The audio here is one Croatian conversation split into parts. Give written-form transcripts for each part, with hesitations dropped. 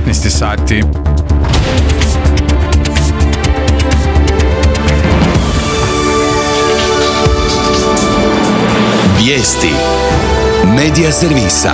15 sati. Vijesti Medija servisa.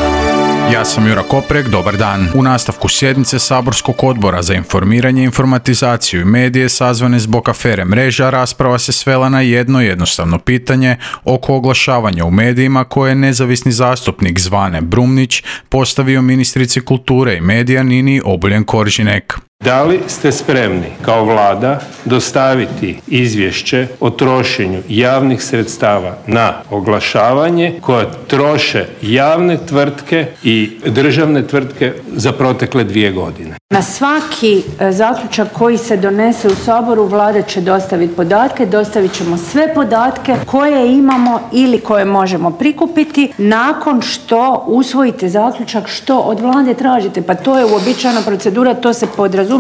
Ja sam Jura Koprek, dobar dan. U nastavku sjednice Saborskog odbora za informiranje, informatizaciju i medije sazvane zbog afere Mreža, rasprava se svela na jedno jednostavno pitanje oko oglašavanja u medijima koje je nezavisni zastupnik Zvane Brumnić postavio ministrici kulture i medija Nini Obuljen Koržinek. Da li ste spremni kao Vlada dostaviti izvješće o trošenju javnih sredstava na oglašavanje koje troše javne tvrtke i državne tvrtke za protekle 2 godine? Na svaki zaključak koji se donese u Saboru Vlada će dostaviti podatke, dostavit ćemo sve podatke koje imamo ili koje možemo prikupiti nakon što usvojite zaključak što od Vlade tražite. Pa to je uobičajena procedura, to se podrazumijeva.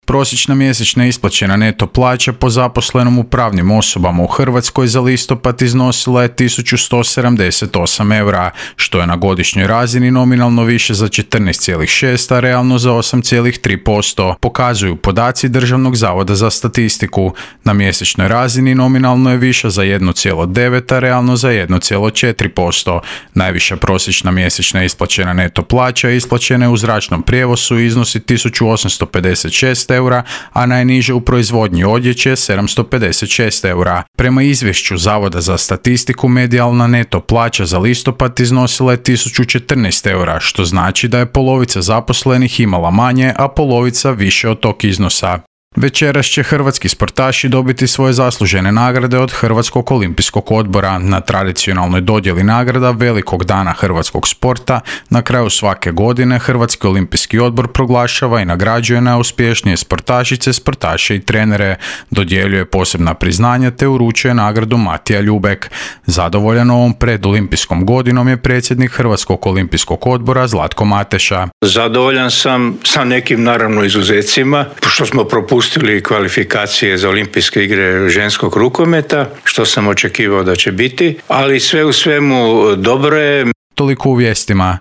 Prosječna mjesečna isplaćena neto plaća po zaposlenom u pravnim osobama u Hrvatskoj za listopad iznosila je 1178 eura, što je na godišnjoj razini nominalno više za 14,6, a realno za 8,3%, pokazuju podaci Državnog zavoda za statistiku. Na mjesečnoj razini nominalno je više za 1,9, a realno za 1,4%. Najviša prosječna mjesečna isplaćena neto plaća isplaćena je u zračnom prijevozu i iznosi 1856 eura, a najniže u proizvodnji odjeće 756 eura. Prema izvješću Zavoda za statistiku, medijalna neto plaća za listopad iznosila je 1014 eura, što znači da je polovica zaposlenih imala manje, a polovica više od tog iznosa. Večeras će hrvatski sportaši dobiti svoje zaslužene nagrade od Hrvatskog olimpijskog odbora. Na tradicionalnoj dodjeli nagrada velikog dana hrvatskog sporta na kraju svake godine Hrvatski olimpijski odbor proglašava i nagrađuje najuspješnije sportašice, sportaše i trenere, dodjeljuje posebna priznanja te uručuje nagradu Matija Ljubek. Zadovoljan ovom predolimpijskom godinom je predsjednik Hrvatskog olimpijskog odbora Zlatko Mateša. Zadovoljan sam sa nekim naravno izuzecima, što smo propustili kvalifikacije za olimpijske igre ženskog rukometa, što sam očekivao da će biti, ali sve u svemu dobro je. Toliko u vijestima.